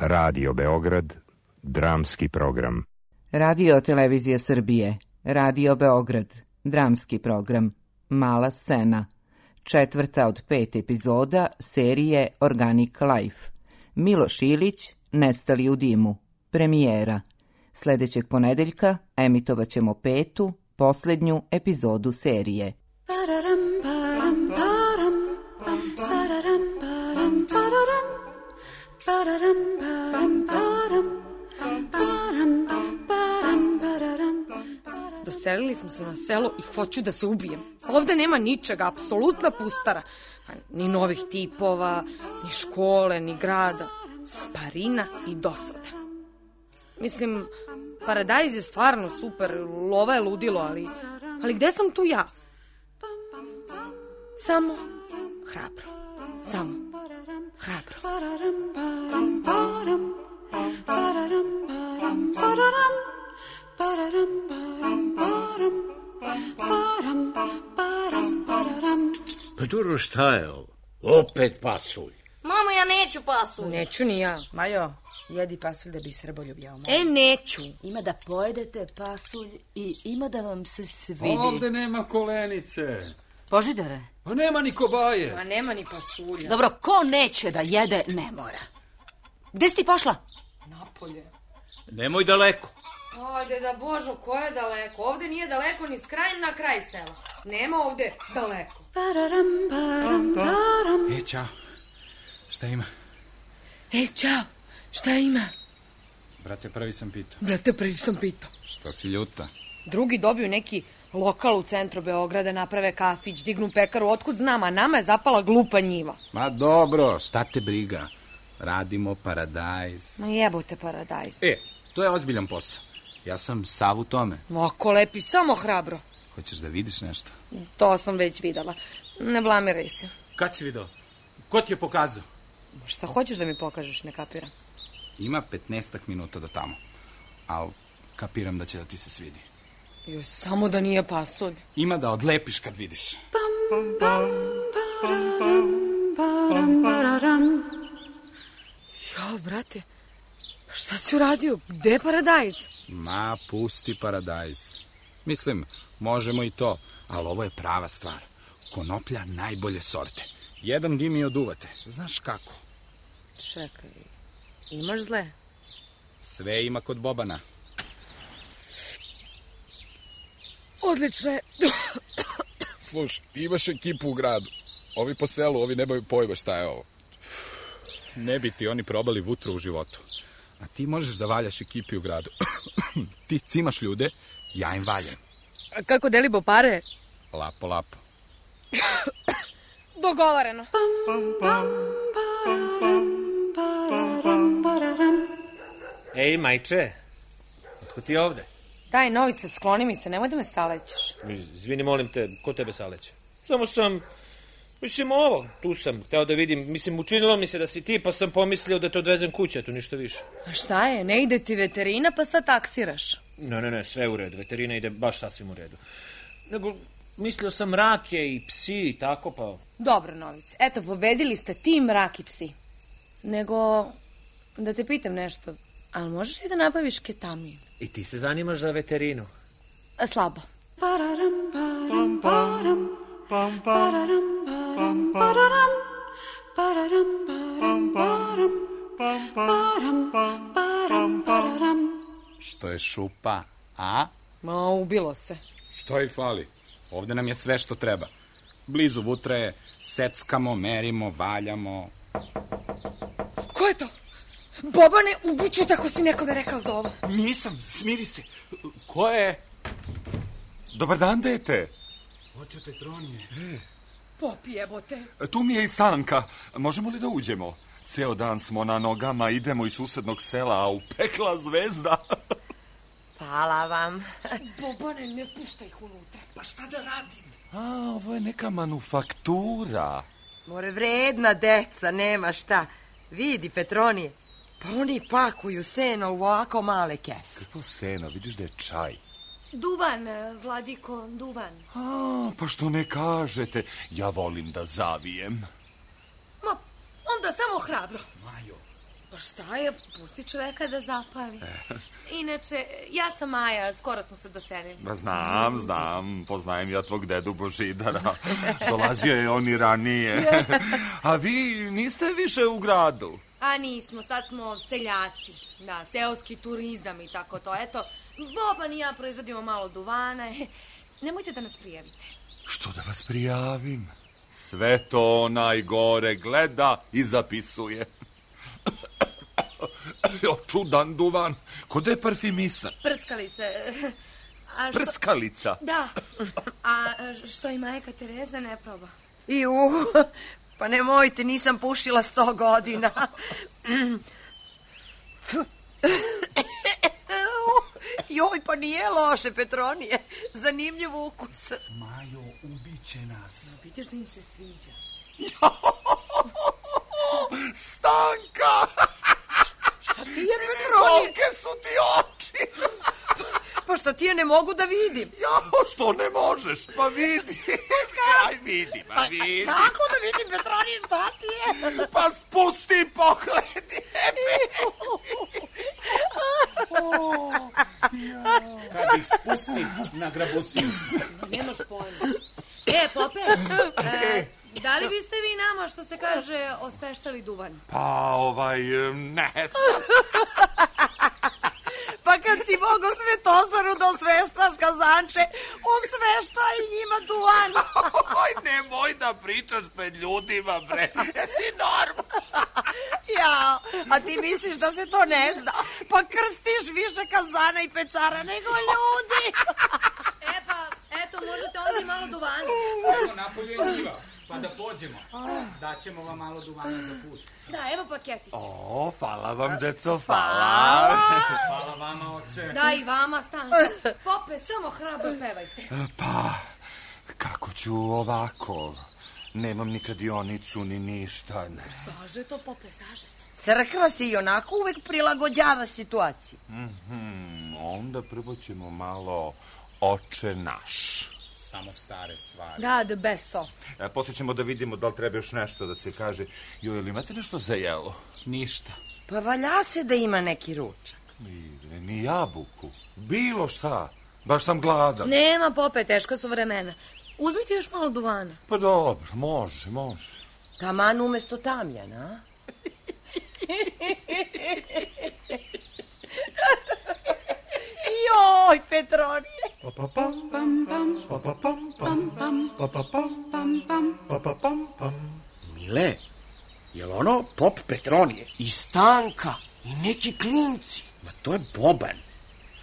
Radio Beograd, dramski program. Radio Televizija Srbije, Radio Beograd, dramski program, Mala scena, 4. od 5 epizoda serije Organic Life. Miloš Ilić, Nestali u dimu, premijera. Sljedećeg ponedeljka emitovat ćemo 5., posljednju epizodu serije. Doselili smo se na selo i hoću da se ubijem. Ovde nema ničega, apsolutna pustara. Ni novih tipova, ni škole, ni grada. Sparina i dosada. Mislim, paradajz je stvarno super, lova je ludilo, ali gde sam tu ja? Samo hrabro. Samo hrabro. Pa dobro, šta je ovo? Opet pasulj. Mamo, ja neću pasulj. Neću ni ja. Majo, jedi pasulj da bi Srbolju bio. Neću. Ima da pojedete pasulj i ima da vam se svidi. Ovde nema kolenice. Božidare. Pa nema ni kobaje. Ma nema ni pasulja. Dobro, ko neće da jede, ne mora. Gde si ti pošla? Napolje. Nemoj daleko. Ajde da Božo, ko je daleko? Ovde nije daleko ni s kraja na kraj sela. Nema ovde daleko. Ćao. Šta ima? Ćao. Šta ima? Brate, prvi sam pitao. Šta si ljuta? Drugi dobiju neki lokal u centru Beograda, naprave kafić, dignu pekaru, otkud znam, a nama je zapala glupa njiva. Ma dobro, šta te briga? Radimo paradajz. Ma jebote paradajz. To je ozbiljan posao. Ja sam sav u tome. Oko lepi, samo hrabro. Hoćeš da vidiš nešto? To sam već videla. Ne blamiraj se. Kad si video? Ko ti je pokazao? Šta hoćeš da mi pokažeš, ne kapiram. Ima 15 minuta do tamo. Al kapiram da će da ti se svidi. Joj, samo da nije pasulj. Ima da odlepiš kad vidiš. Jo, brate, šta si uradio? Gde je paradajz? Ma, pusti paradajz. Mislim, možemo i to, ali ovo je prava stvar. Konoplja najbolje sorte. Jedan dim i oduvate. Znaš kako? Čekaj, imaš zle? Sve ima kod Bobana. Odlično je. Slušaj, ti imaš ekipu u gradu. Ovi po selu, ovi nemaju pojma šta je ovo. Ne bi ti oni probali vutru u životu. A ti možeš da valjaš ekipi u gradu. Ti cimaš ljude, ja im valjam. A kako delimo pare? Lapo, lapo. Dogovoreno. Ej, majče, otkud ti ovde? Daj, Novice, skloni mi se, nemoj da me salećeš. Izvini, molim te, ko tebe saleće? Samo sam, tu sam, hteo da vidim, učinilo mi se da si ti, pa sam pomislio da te odvezem kuće, to ništa više. A šta je, ne ide ti veterina, pa sad taksiraš? Ne, sve u redu, veterina ide baš sasvim u redu. Nego, mislio sam rake i psi i tako, pa... Dobro, Novice, eto, pobedili ste ti, mrak i psi. Nego, da te pitam nešto, ali možeš li da nabaviš ketamin? I ti se zanimaš za veterinu? Slabo. Što je šupa, a? Ma, ubilo se. Što i fali? Ovde nam je sve što treba. Blizu vutre je, seckamo, merimo, valjamo. Ko je to? Bobane, ubiću tako si nekome rekao za ovo. Nisam, smiri se. Ko je? Dobar dan, dete. Oče Petronije. Popi, jebote. Tu mi je i Stanka. Možemo li da uđemo? Ceo dan smo na nogama, idemo iz susednog sela, a upekla zvezda. Hvala vam. Bobane, ne puštaj ih unutra. Pa šta da radim? Ovo je neka manufaktura. More, vredna deca, nema šta. Vidi, Petronije, pa oni pakuju seno u ovako male kese. Kako seno? Vidiš da je čaj. Duvan, Vladiko, duvan. Pa što ne kažete? Ja volim da zavijem. Ma, onda samo hrabro. Majo, Pa šta je, pusti čoveka da zapali. Inače, ja sam Maja, skoro smo se doselili. Znam, poznajem ja tvog dedu Božidara. Dolazio je on i ranije. A vi niste više u gradu? A nismo, sad smo seljaci. Da, seoski turizam i tako to. Eto, Boban i ja proizvodimo malo duvana. Nemojte da nas prijavite. Što da vas prijavim? Sve to onaj gore gleda i zapisuje. Čudan duvan, kod je parfimisan. Prskalice. Prskalica? Da. A što i majka Tereza ne proba? Pa nemojte, nisam pušila 100 godina. Joj, pa nije loše, Petronije. Zanimljiv ukus. Majo, ubiće nas. Vidiš da im se sviđa. Stanka! Šta ti je, Petronije? Kolike su ti oči? Pa šta ti je ne mogu da vidim? Što ne možeš? Pa vidi. Aj, vidi. Kako da vidim, Petronije, šta ti je? Pa spusti i pogledi. Kad ih spusti na grabusiju. Nemaš pojma. Pope, da li biste vi nama, što se kaže, osveštali duvan? Pa, ne znam. Pa kad si mogo Svetosaru da osveštaš kazanče, osvešta i njima duvan. Oj, nemoj da pričaš pred ljudima, bre. Jesi norm. Ja, a ti misliš da se to ne zna? Pa krstiš više kazana i pecara nego ljudi. Pa, eto, možete ovdje malo duvana. Evo napolje je njiva, pa da pođemo. Daćemo vam malo duvana za put. Da, evo paketić. Hvala vam, deco, hvala. Hvala vama, oče. Da, i vama, Stanko. Pope, samo hrabro pevajte. Pa, kako ću ovako? Nemam ni kladionicu, ni ništa. Sažeto, Pope, sažeto. Crkva se i onako uvek prilagođava situaciji. Onda prvo ćemo malo Oče naš. Samo stare stvari. Da, the best of. Poslije ćemo da vidimo da li treba još nešto da se kaže. Joj, ili imate nešto za jelo? Ništa. Pa valja se da ima neki ručak. Ni jabuku. Bilo šta. Baš sam gladan. Nema, Pope, teško su vremena. Uzmite još malo duvana. Pa dobro, može. Taman umesto tamjana, a? Joj, Petronije. Mile, jel ono pop Petronije? I Stanka, i neki klinci. Ma to je Boban.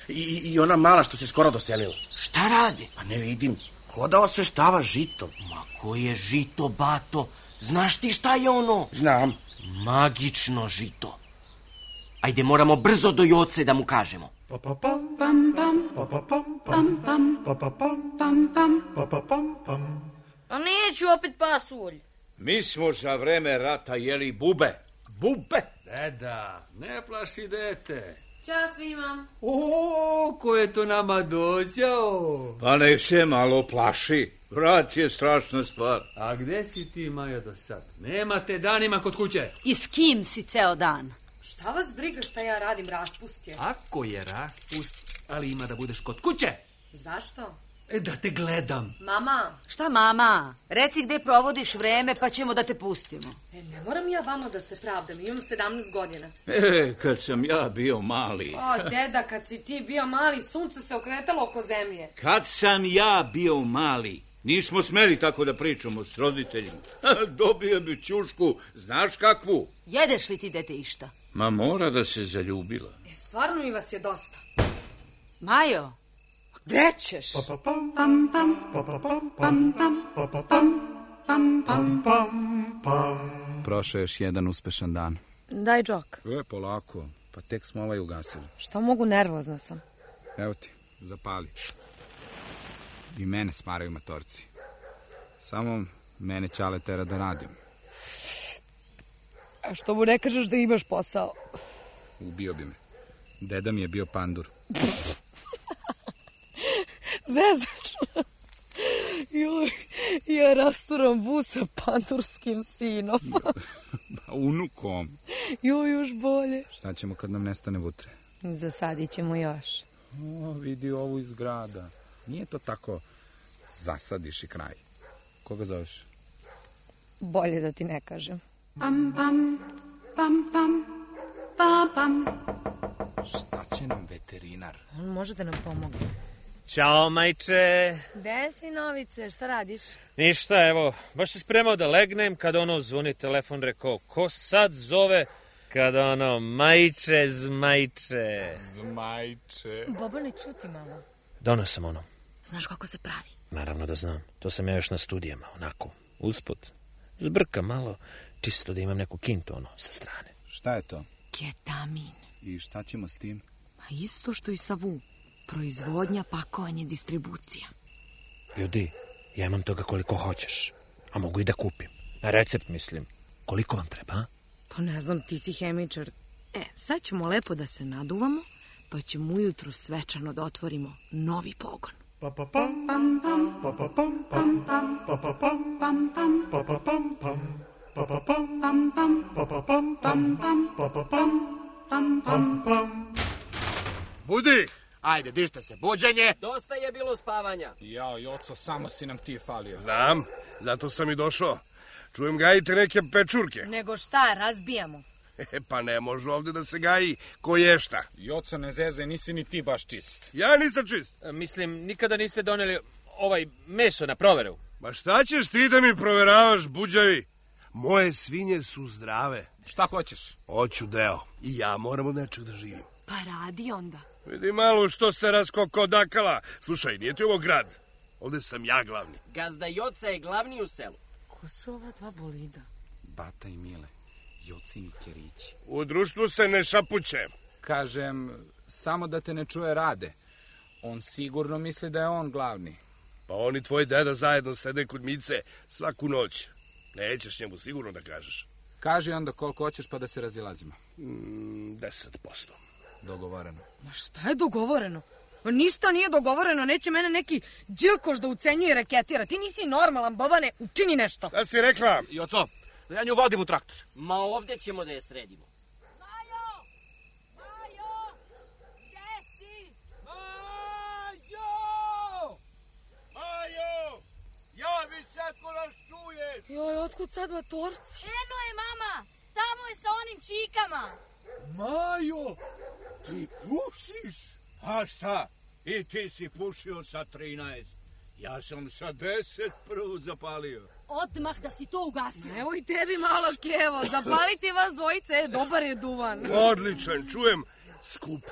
I ona mala što se skoro doselila. Šta rade? Pa ne vidim. Ko da osveštava žito? Ma ko je žito, bato? Znaš ti šta je ono? Znam. Magično žito. Ajde, moramo brzo do Joce da mu kažemo. A neću opet pasulj. Mi smo za vreme rata jeli bube. Bube? Deda, ne plaši dete. Ćao svima. Ko je to nama dođao? Pa nek se malo plaši. Rat je strašna stvar. A gde si ti, Maja, do sad? Nema te danima kod kuće. I s kim si ceo dan? Šta vas briga šta ja radim, raspust je. Ako je raspust, ali ima da budeš kod kuće. Zašto? Da te gledam. Mama. Šta mama? Reci gde provodiš vreme pa ćemo da te pustimo. Ne moram ja vama da se pravdam, imam 17 godina. Kad sam ja bio mali. Deda, kad si ti bio mali, sunce se okretalo oko zemlje. Kad sam ja bio mali, nismo smeli tako da pričamo s roditeljima. Dobio bi ćušku, znaš kakvu? Jedeš li ti dete išta? Ma mora da se zaljubila. Stvarno mi vas je dosta. Majo, gde ćeš? Prošao još jedan uspešan dan. Daj džok. Polako, pa tek smo ovaj ugasili. Šta mogu, nervozna sam. Evo ti, zapali. I mene smaraju matorci. Samo mene Ćale tera da radim. A što mu ne kažeš da imaš posao? Ubio bi me. Deda mi je bio pandur. Zezač. Joj, ja rasturam bu sa pandurskim sinom. Unukom. Još bolje. Šta ćemo kad nam nestane vutre? Zasadit ćemo još. O, vidi ovu iz grada. Nije to tako zasadiš i kraj. Koga zoveš? Bolje da ti ne kažem. Pam, pam, pam, pam, pam, pam. Šta će nam veterinar? On može da nam pomogne. Ćao, majče. Gde si, Novice? Šta radiš? Ništa, evo, baš se spremao da legnem kada zvoni telefon, rekao, ko sad zove? Kada majče, zmajče. Zmajče. Bobane, čuti malo. Donao sam ono. Znaš kako se pravi? Naravno da znam. To sam ja još na studijama, onako, usput. Zbrka malo, čisto da imam neku kintu, sa strane. Šta je to? Ketamin. I šta ćemo s tim? Ma isto što i sa VU. Proizvodnja, pakovanje, distribucija. Ljudi, ja imam toga koliko hoćeš. A mogu i da kupim. Na recept mislim. Koliko vam treba, a? Pa ne znam, ti si hemičar. Sad ćemo lepo da se naduvamo, pa ćemo ujutru svečano da otvorimo novi pogon. Budi! Ajde, dište se, buđenje! Dosta je bilo spavanja. Jao, Joco, samo si nam ti falio. Znam, zato sam i došao. Čujem gajite neke pečurke. Nego šta, razbijamo. Pa ne može ovde da se gaji ko je šta. Joco, ne zezaj, nisi ni ti baš čist. Ja nisam čist. Mislim, nikada niste doneli meso na proveru. Ma šta ćeš ti da mi proveravaš, buđavi? Moje svinje su zdrave. Šta hoćeš? Hoću deo. I ja moram od nečeg da živim. Pa radi onda. Vidi malo što se raskokodakala. Slušaj, nije ti ovo grad. Ovde sam ja glavni. Gazda Joca je glavni u selu. Ko su ova dva bolida? Bata i Mile, Jocini kerići. U društvu se ne šapuće. Kažem, samo da te ne čuje Rade. On sigurno misli da je on glavni. Pa on i tvoj deda zajedno sede kod Mice svaku noć. Nećeš njemu sigurno da kažeš. Kaži onda koliko hoćeš pa da se razilazimo. 10%. Dogovoreno. Ma šta je dogovoreno? Ništa nije dogovoreno, neće mene neki džilkoš da ucenjuje i reketira. Ti nisi normalan, Bobane, učini nešto. Šta si rekla? Joco, da ja nju vodim u traktor. Ma ovdje ćemo da je sredimo. Majo! Majo! Gde si? Majo! Majo! Javi se ako nas čuješ! Joj, otkud sad matorci? Eno je, mama! Tamo je sa onim čikama! Majo! Ti pušiš? A šta? I ti si pušio sa 13. Ja sam sa 10 prvo zapalio. Odmah da si to ugasi. Evo i tebi malo, Kevo. Zapaliti vas dvojice, dobar je duvan. Odličan, čujem. Skup,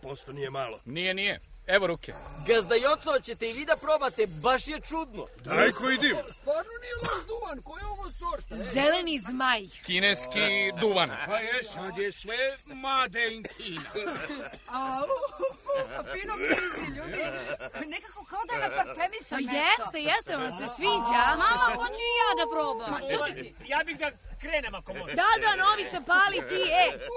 10% nije malo. Nije. Evo ruke. Gazda Joco, ćete i vi da probate, baš je čudno. Daj koji dim. Stvarno nije loš duvan, koja je ovo sorta? Zeleni zmaj. Kineski duvan. Pa je, sad je sve made in Kina. Fino krizi, ljudi. Nekako kao da je naparfemisan nešto. Jeste, vam se sviđa. Mama, hoću i ja da probam. Ma čuti. Ja bih da krenem ako može. Da, Novica, pali ti,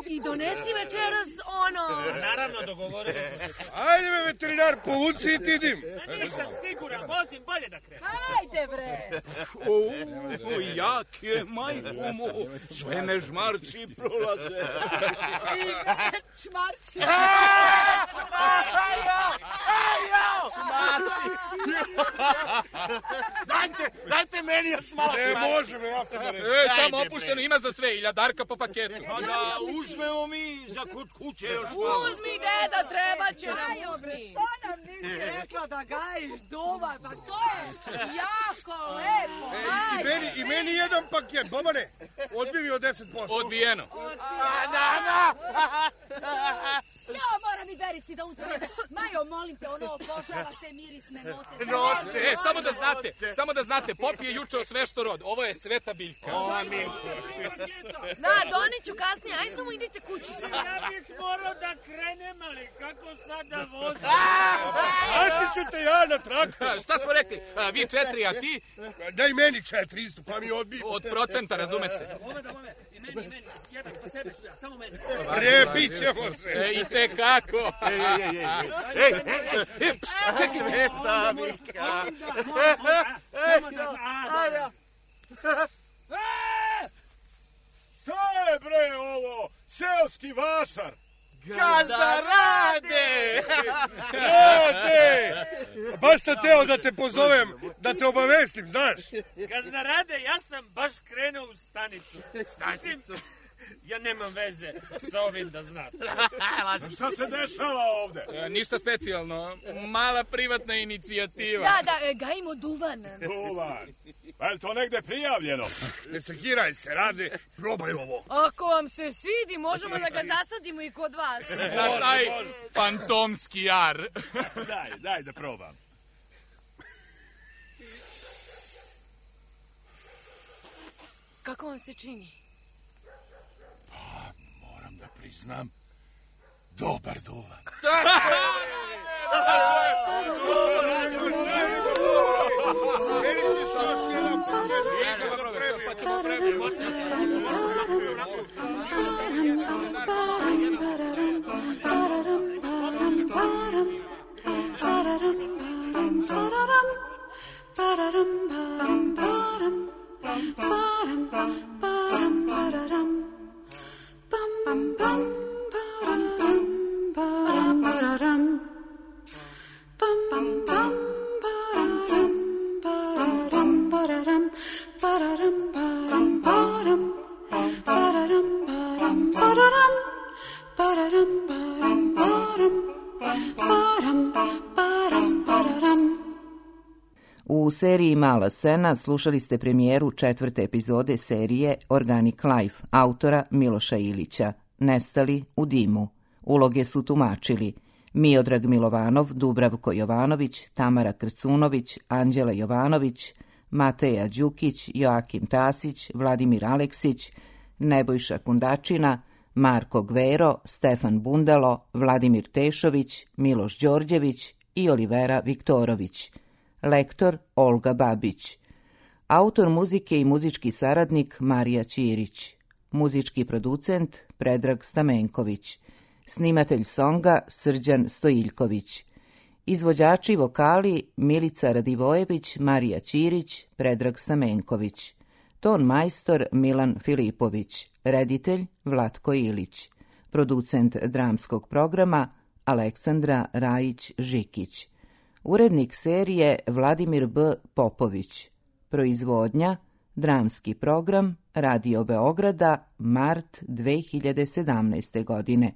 i donesi večeras ono. Naravno, dogovorili smo se. Ajde me, veterinar, povuci i ti dim. Nisam siguran, vozim bolje da krenem. Ajde, bre. Jak je, majko mu. Sve me žmarci prolaze. Čmarci. Dajte meni još malo. Ne može me, ja sam da reći. Samo opušteno ima za sve, iljadarka po paketu. Pa da uzmemo mi za kod kuće još malo. Uzmi, deda, treba će nam uzmi. Što nam nisi rekla da gajiš duvan? Pa to je jako lepo. I meni jedan paket, Bobane. Odbi mi od 10%. Odbijeno. Ja moram i Verici da uzmem. Majo, molim te, ono obožavate mirisne note. Samo da znate, Pop je juče osvešto rod. Ovo je sveta biljka. Da, doneću kasnije. Aj samo idite kući. Ja bih morao da krenem, ali kako sad da vozim? Ajde ću te ja na traktor. Šta smo rekli? Vi 4, a ti? Daj meni 4 isto, pa mi odbi. Od procenta, razume se. I meni. Jedan za sebe ću ja, samo meni. Repit ćemo se. I te kako? Čekaj, sveta biljka. Stoj! je bre ovo? Seoski vašar. Gazda Rade! Rade! Baš sam teo da te pozovem, da te obavestim, znaš. Gazda Rade, ja sam baš krenuo u stanicu. Mislim, ja nemam veze sa ovim da znam. Šta se dešava ovde? Ništa specijalno, mala privatna inicijativa. Da, gajimo duvan. Duvan? Pa je to negde prijavljeno? Ne sekiraj se, Rade, probaj ovo. Ako vam se svidi, možemo da ga zasadimo i kod vas. Na taj fantomski jar. Daj da probam. Kako vam se čini? Moram da priznam, dobar duvan. U seriji Mala scena slušali ste premijeru 4. epizode serije Organic Life autora Miloša Ilića, Nestali u dimu. Uloge su tumačili Miodrag Milovanov, Dubravko Jovanović, Tamara Krcunović, Anđela Jovanović, Mateja Đukić, Joakim Tasić, Vladimir Aleksić, Nebojša Kundačina, Marko Gvero, Stefan Bundalo, Vladimir Tešović, Miloš Đorđević i Olivera Viktorović. Lektor Olga Babić. Autor muzike i muzički saradnik Marija Ćirić. Muzički producent Predrag Stamenković. Snimatelj songa Srđan Stojiljković. Izvođači vokali Milica Radivojević, Marija Ćirić, Predrag Stamenković. Ton majstor Milan Filipović. Reditelj Vlatko Ilić. Producent dramskog programa Aleksandra Rajić-Žikić. Urednik serije Vladimir B. Popović. Proizvodnja dramski program Radio Beograda, mart 2017. godine.